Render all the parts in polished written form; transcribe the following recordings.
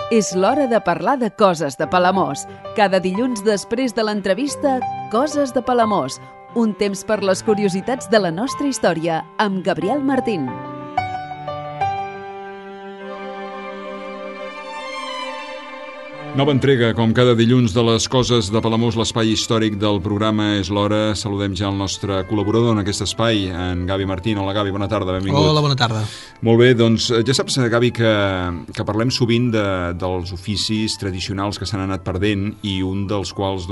És l'hora de parlar de coses de Palamós. Cada dilluns després de l'entrevista, Coses de Palamós. Un temps per les curiositats de la nostra història, amb Gabriel Martín. Nova entrega, com cada dilluns, de les Coses de Palamós, l'espai històric del programa És l'Hora. Saludem ja el nostre col·laborador en aquest espai, en Gavi Martín. Hola, Gavi, bona tarda, benvingut. Hola, bona tarda. Molt bé, doncs ja saps, Gavi, que parlem sovint dels oficis tradicionals que s'han anat perdent i un dels quals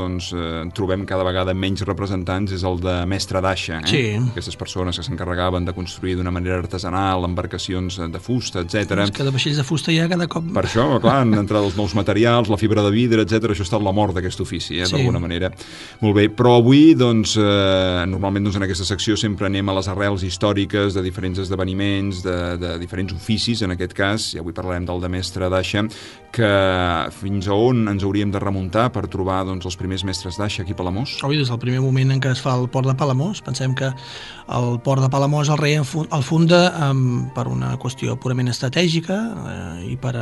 trobem cada vegada menys representants és el de mestre d'aixa. Sí. Aquestes persones que s'encarregaven de construir d'una manera artesanal embarcacions de fusta, etc. És que de vaixells de fusta ja cada cop... Per això, clar, han entrat els nous materials, la fibra de vidre, etc. Això ha estat la mort d'aquest ofici, Sí. d'alguna manera. Molt bé, però avui, normalment en aquesta secció sempre anem a les arrels històriques de diferents esdeveniments, de diferents oficis, en aquest cas, i avui parlarem del de mestre d'aixa, que fins a on ens hauríem de remuntar per trobar els primers mestres d'aixa aquí a Palamós? Avui, des del primer moment en què es fa el port de Palamós, pensem que el port de Palamós el rei el funda per una qüestió purament estratègica i per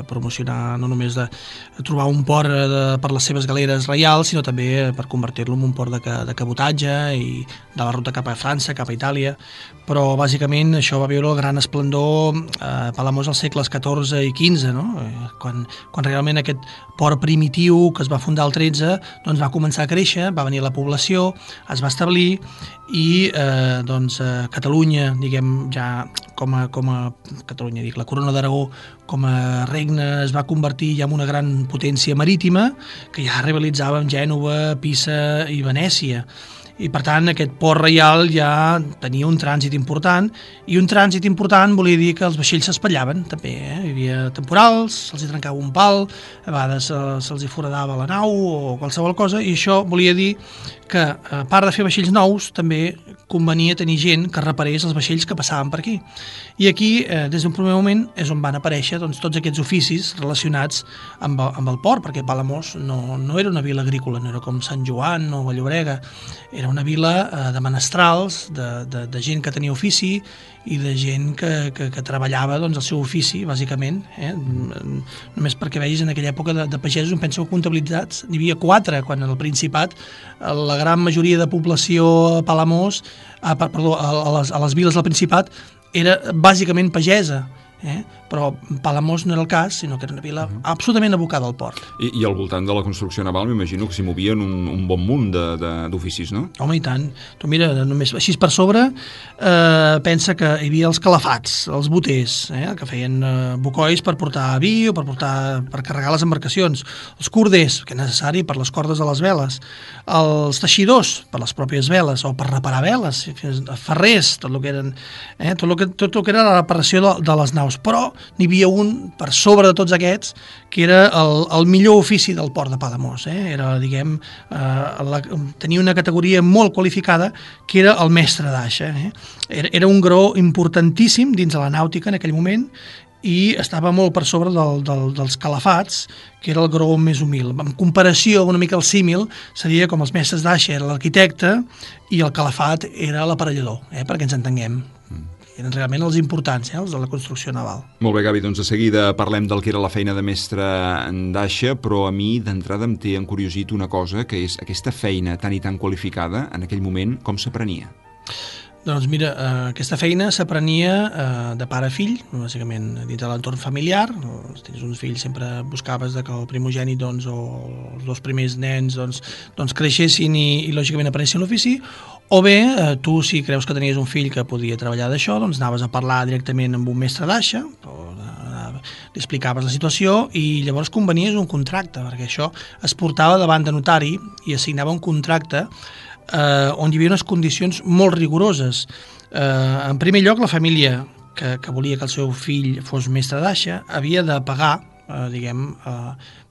promocionar no només de trobar un port per les seves galeres reials, sinó també per convertir-lo en un port de cabotatge i de la ruta cap a França, cap a Itàlia. Però bàsicament això va viure el gran esplendor a Palamós als segles XIV i XV, no? Quan realment aquest port primitiu que es va fundar al XIII va començar a créixer, va venir la població, es va establir i Catalunya, diguem, ja com a Catalunya, la Corona d'Aragó com a regne es va convertir ja en una gran potència marítima que ja rivalitzava amb Gènova, Pisa i Venècia. I per tant aquest port reial ja tenia un trànsit important, i un trànsit important volia dir que els vaixells s'espallaven també, Hi havia temporals, se'ls trencava un pal, a vegades se'ls foradava la nau o qualsevol cosa, i això volia dir que a part de fer vaixells nous també convenia tenir gent que reparés els vaixells que passaven per aquí. I aquí, des d'un primer moment, és on van aparèixer tots aquests oficis relacionats amb el port, perquè Palamós no era una vila agrícola, no era com Sant Joan o Vall-llobrega, era una vila de menestrals, de gent que tenia ofici i de gent que treballava el seu ofici, bàsicament. Només perquè vegis, en aquella època de pagesos, em penso que comptabilitzats n'hi havia 4, quan al Principat la gran majoria de població a Palamós, a les viles del Principat, era bàsicament pagesa. Però Palamós no era el cas, sinó que era una vila absolutament abocada al port. I al voltant de la construcció naval m'imagino que s'hi movien un bon munt d'oficis, no? Home, i tant. Tu mira, només així per sobre, pensa que hi havia els calafats, els boters, que feien bocois per portar vi o per carregar les embarcacions, els corders, que és necessari per les cordes de les veles, els teixidors, per les pròpies veles, o per reparar veles, ferrers, tot el que eren, tot el que era la reparació de les naus. Però n'hi havia un per sobre de tots aquests que era el millor ofici del port de Palamós. Era, diguem, tenia una categoria molt qualificada, que era el mestre d'aixa. Era un graó importantíssim dins de la nàutica en aquell moment i estava molt per sobre dels calafats, que era el graó més humil. En comparació, una mica el símil, seria com els mestres d'aixa era l'arquitecte i el calafat era l'aparellador, perquè ens entenguem. Eren realment els importants, els de la construcció naval. Molt bé, Gavi, doncs de seguida parlem del que era la feina de mestre d'aixa, però a mi d'entrada em té encuriosit una cosa, que és aquesta feina tan i tan qualificada, en aquell moment, com s'aprenia? Doncs mira, aquesta feina s'aprenia de pare a fill, bàsicament dins de l'entorn familiar. Si tens uns fills sempre buscaves que el primogènit o els dos primers nens creixessin i lògicament aprenessin l'ofici, o bé tu, si creus que tenies un fill que podia treballar d'això, anaves a parlar directament amb un mestre d'aixa, li explicaves la situació i llavors convenies un contracte, perquè això es portava davant de notari i assignava un contracte on hi havia unes condicions molt rigoroses. En primer lloc, la família que volia que el seu fill fos mestre d'aixa havia de pagar,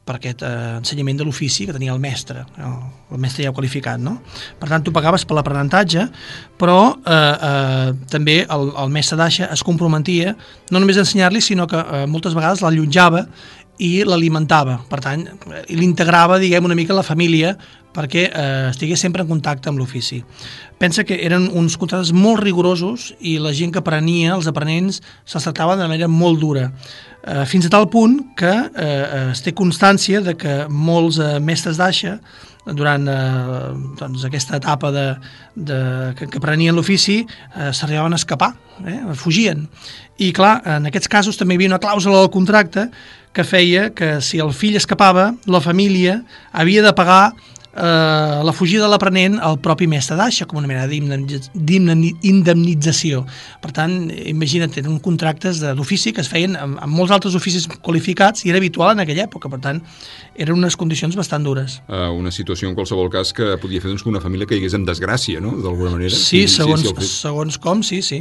per aquest ensenyament de l'ofici que tenia el mestre ja qualificat, no? Per tant, tu pagaves per l'aprenentatge, però també el mestre d'aixa es comprometia no només a ensenyar-li, sinó que moltes vegades l'allotjava i l'alimentava. Per tant, l'integrava, una mica la família perquè estigués sempre en contacte amb l'ofici. Pensa que eren uns contractes molt rigorosos i la gent que aprenia, els aprenents, se'ls tractava de manera molt dura. fins a tal punt que es té constància de que molts mestres d'aixa, durant doncs, aquesta etapa que prenien l'ofici, s'arribaven a escapar, fugien. I clar, en aquests casos també hi havia una clàusula del contracte que feia que si el fill escapava, la família havia de pagar la fugida de l'aprenent al propi mestre d'aixa com una mena d'indemnització. Per tant, imagina't, eren contractes d'ofici que es feien amb molts altres oficis qualificats i era habitual en aquella època, per tant eren unes condicions bastant dures. Una situació en qualsevol cas que podia fer doncs, que una família caigués en desgràcia, no?, d'alguna manera. Sí, segons com, sí.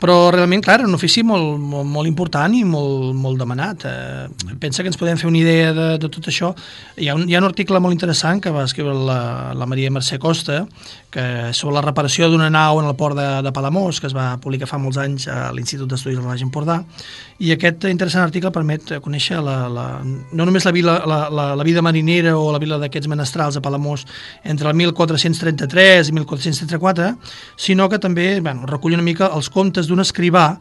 Però realment, clar, era un ofici molt important i molt demanat. Pensa que ens podem fer una idea de tot això. Hi ha un article molt interessant que va escriure la Maria Mercè Costa, que sobre la reparació d'una nau en el port de Palamós, que es va publicar fa molts anys a l'Institut d'Estudis del Baix Empordà, i aquest interessant article permet conèixer no només la vida marinera o la vila d'aquests menestrals a Palamós entre el 1433 i 1434, sinó que també recull una mica els contes d'un escrivà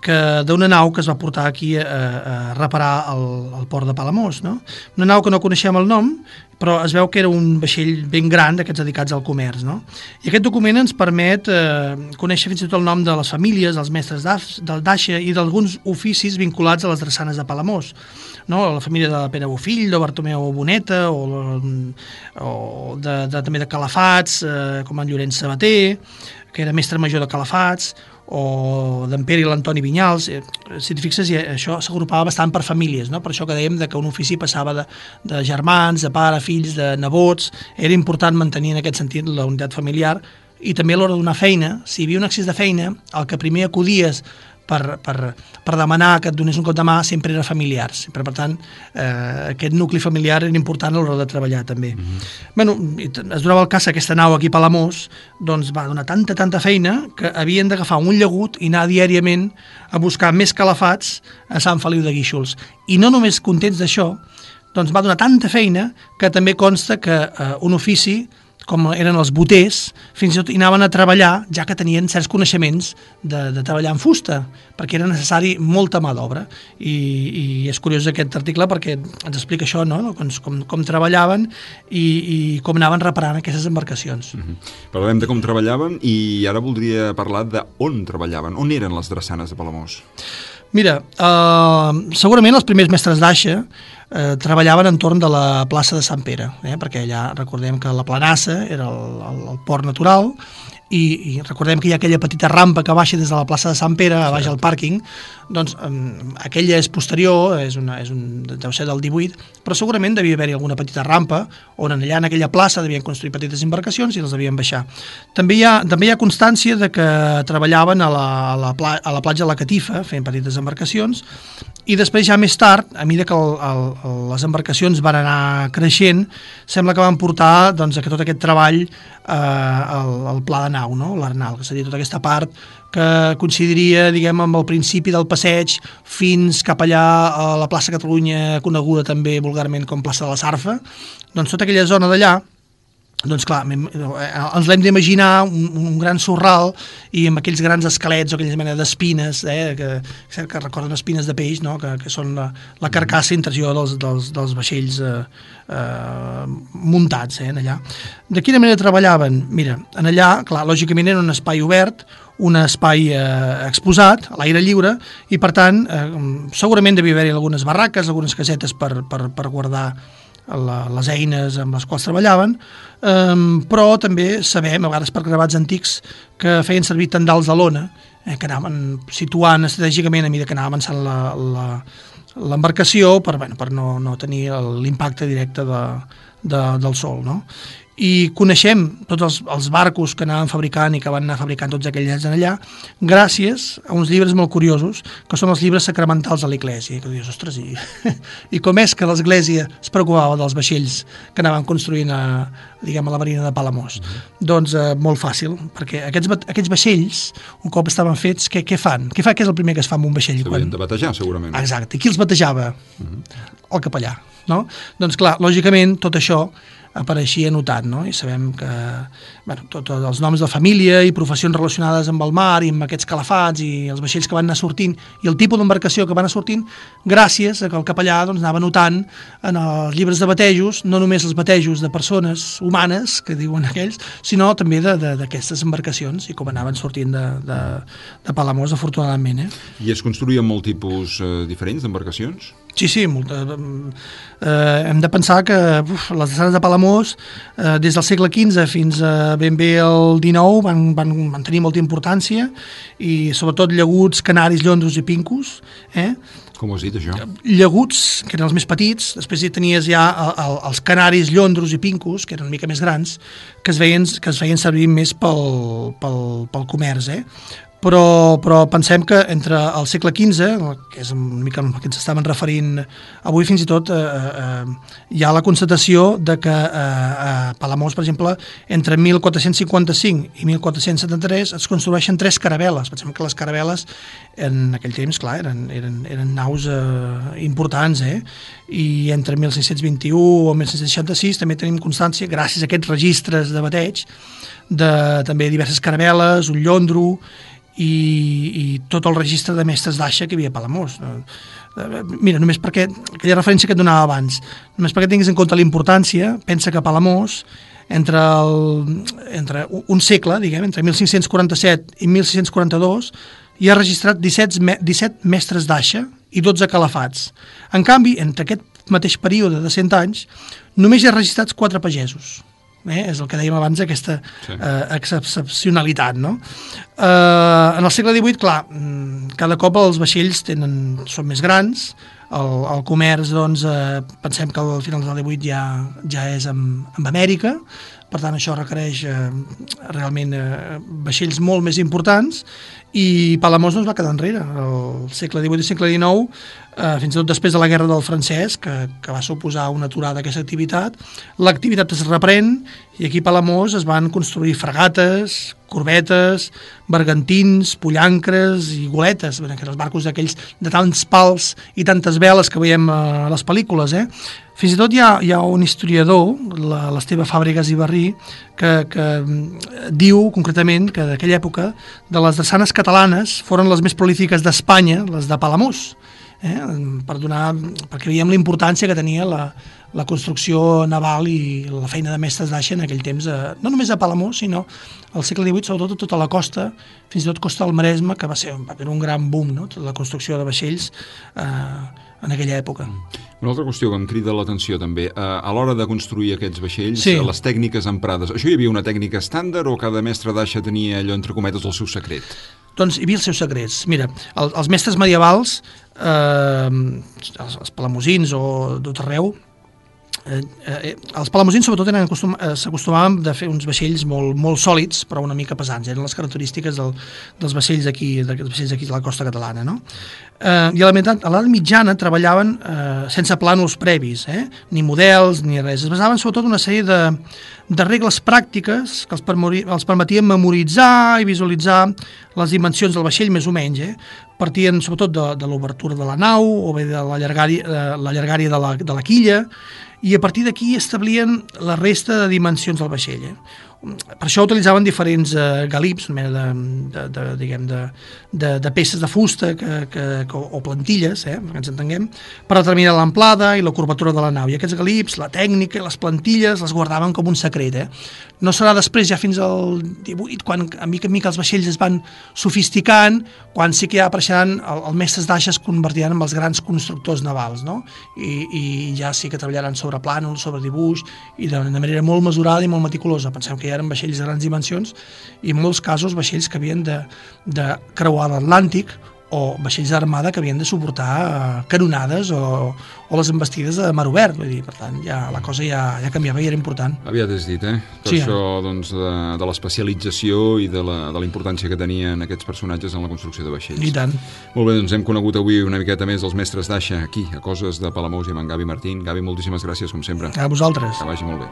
d'una nau que es va portar aquí a reparar el port de Palamós, no? Una nau que no coneixem el nom, però es veu que era un vaixell ben gran d'aquests dedicats al comerç, no? I aquest document ens permet conèixer fins i tot el nom de les famílies, dels mestres d'aixa i d'alguns oficis vinculats a les drassanes de Palamós, no? La família de Pere Bofill, de Bartomeu Boneta, o també de Calafats, com en Llorenç Sabater, que era mestre major de Calafats, o d'en Pere i l'Antoni Vinyals. Si et fixes, això s'agrupava bastant per famílies, no? Per això que dèiem que un ofici passava de germans, de pare, fills, de nebots. Era important mantenir en aquest sentit la unitat familiar, i també a l'hora de donar feina, si hi havia un excés de feina, el que primer acudies per demanar que et donés un cop de mà sempre era familiars. Per tant, aquest nucli familiar era important a l'hora de treballar també. Bueno, es donava el cas que aquesta nau aquí a Palamós doncs va donar tanta feina que havien d'agafar un llagut i anar diàriament a buscar més calafats a Sant Feliu de Guíxols. I no només contents d'això, doncs va donar tanta feina que també consta que un ofici, com eren els boters, fins i tot hi anaven a treballar, ja que tenien certs coneixements de treballar en fusta, perquè era necessari molta mà d'obra. I és curiós aquest article perquè ens explica això, no? Com treballaven i com anaven reparant aquestes embarcacions. Parlarem de com treballaven i ara voldria parlar d'on treballaven. On eren les drassanes de Palamós? Mira, segurament els primers mestres d'aixa treballaven entorn de la plaça de Sant Pere, perquè allà recordem que la Planassa era el port natural, i recordem que hi ha aquella petita rampa que baixa des de la plaça de Sant Pere a baix al pàrquing. Doncs aquella és posterior, deu ser del 18, però segurament devia haver-hi alguna petita rampa on allà en aquella plaça devien construir petites embarcacions i les devien baixar. També hi ha constància de que treballaven a la platja de la Catifa fent petites embarcacions, i després ja més tard, a mesura que les embarcacions van anar creixent, sembla que van portar doncs, que tot aquest treball al pla de nau, no? L'Arnal, és a dir, tota aquesta part que coincidiria, diguem, amb el principi del passeig fins cap allà a la plaça Catalunya, coneguda també vulgarment com plaça de la Sarfa. Doncs tota aquella zona d'allà, doncs clar, ens l'hem d'imaginar un gran sorral i amb aquells grans esquelets o aquelles mena d'espines, que recorden espines de peix, no? que són la carcassa interior dels vaixells muntats allà. De quina manera treballaven? Mira, en allà, clar, lògicament era un espai obert, un espai exposat, a l'aire lliure, i per tant segurament devia haver-hi algunes barraques, algunes casetes per guardar les eines amb les quals treballaven, però també sabem, a vegades per gravats antics, que feien servir tendals de lona, que anaven situant estratègicament a mesura que anava avançant l'embarcació per no tenir l'impacte directe del sol, no? I coneixem tots els barcos que anaven fabricant i que van anar fabricant tots aquells anys allà gràcies a uns llibres molt curiosos, que són els llibres sacramentals de l'Església. Que dius, ostres, i com és que l'Església es preocupava dels vaixells que anaven construint a la marina de Palamós? Doncs molt fàcil, perquè aquests vaixells, un cop estaven fets, què fan? Què és el primer que es fa amb un vaixell? S'havien de batejar, segurament. Exacte. I qui els batejava? El capellà, no? Doncs clar, lògicament, tot això apareixia notat, no? I sabem que tots els noms de família i professions relacionades amb el mar i amb aquests calafats i els vaixells que van anar sortint i el tipus d'embarcació que van anar sortint, gràcies a que el capellà anava notant en els llibres de batejos, no només els batejos de persones humanes, que diuen aquells, sinó també d'aquestes embarcacions i com anaven sortint de Palamós, afortunadament. I es construïen molt tipus diferents d'embarcacions? Sí, hem de pensar que les drassanes de Palamós des del segle XV fins a ben bé el XIX van tenir molta importància i sobretot llaguts, canaris, llondros i pincos. Com ho has dit, això? Llaguts, que eren els més petits, després hi tenies ja els canaris, llondros i pincos, que eren una mica més grans, que es feien servir més pel comerç, Però pensem que entre el segle XV, que és una mica el que ens estaven referint avui, fins i tot hi ha la constatació de que a Palamós, per exemple, entre 1455 i 1473 es construeixen 3 caravel·les. Pensem que les caravel·les en aquell temps, clar, eren naus importants, i entre 1621 o 1666 també tenim constància, gràcies a aquests registres de bateig, de també diverses caravel·les, un llondro, i tot el registre de mestres d'aixa que hi havia a Palamós. Mira, només perquè aquella referència que et donava abans, només perquè tinguis en compte la importància, pensa que a Palamós entre un segle, diguem, entre 1547 i 1642 hi ha registrat 17 mestres d'aixa i 12 calafats. En canvi, entre aquest mateix període de 100 anys només hi ha registrats 4 pagesos. És el que dèiem abans, aquesta excepcionalitat, no? En el segle XVIII, clar, cada cop els vaixells són més grans, el comerç, doncs, pensem que al final del XVIII ja és amb Amèrica, per tant això requereix realment vaixells molt més importants, i Palamós no es va quedar enrere. El segle XVIII i segle XIX, fins i tot després de la Guerra del Francès, que va suposar una aturada d'aquesta activitat, l'activitat es reprèn i aquí a Palamós es van construir fragates, corbetes, bergantins, pollancres i goletes, que eren els barcos d'aquells de tants pals i tantes veles que veiem a les pel·lícules. Fins i tot hi ha un historiador, l'Esteve Fàbregas i Barrí, que diu concretament que d'aquella època de les drassanes catalanes foren les més prolífiques d'Espanya, les de Palamós, perquè veiem la importància que tenia la construcció naval i la feina de mestres d'aixa en aquell temps, no només a Palamós, sinó al segle XVIII, sobretot a tota la costa, fins i tot costa del Maresme, que va ser un gran boom, no? Tota la construcció de vaixells en aquella època. Una altra qüestió que em crida l'atenció també, a l'hora de construir aquests vaixells, sí, les tècniques emprades, això hi havia una tècnica estàndard o cada mestre d'aixa tenia allò, entre cometes, el seu secret? Doncs hi havia els seus secrets. Mira, els mestres medievals, els palamosins o tot arreu, els palamosins sobretot s'acostumaven a fer uns vaixells molt sòlids però una mica pesants, eren les característiques dels vaixells d'aquí de la costa catalana, no? I a l'edat mitjana treballaven sense plànols previs, ni models ni res, es basaven sobretot en una sèrie de regles pràctiques que els permetien memoritzar i visualitzar les dimensions del vaixell més o menys, partien sobretot de l'obertura de la nau o bé de la llargària de la quilla, i a partir d'aquí establien la resta de dimensions del vaixell. Per això utilitzaven diferents galips, una mena de peces de fusta o plantilles, que ens entenguem, per determinar l'amplada i la curvatura de la nau. I aquests galips, la tècnica i les plantilles les guardaven com un secret. No serà després, ja fins al 18, quan a mica en mica els vaixells es van sofisticant, quan sí que ja apareixeran els mestres d'aixa es convertiran en els grans constructors navals, no? I ja sí que treballaran sobre plànols, sobre dibuix, i de manera molt mesurada i molt meticulosa. Pensem que ja eren vaixells de grans dimensions i en molts casos vaixells que havien de creuar l'Atlàntic o vaixells d'armada que havien de suportar canonades o les embestides de mar obert. Vull dir, per tant, la cosa ja canviava i era important. Aviat has dit, Tot això doncs, de l'especialització i de la importància que tenien aquests personatges en la construcció de vaixells. I tant. Molt bé, doncs hem conegut avui una miqueta més els mestres d'aixa aquí, a Coses de Palamós i amb en Gavi Martín. Gavi, moltíssimes gràcies, com sempre. A vosaltres. Que vagi molt bé.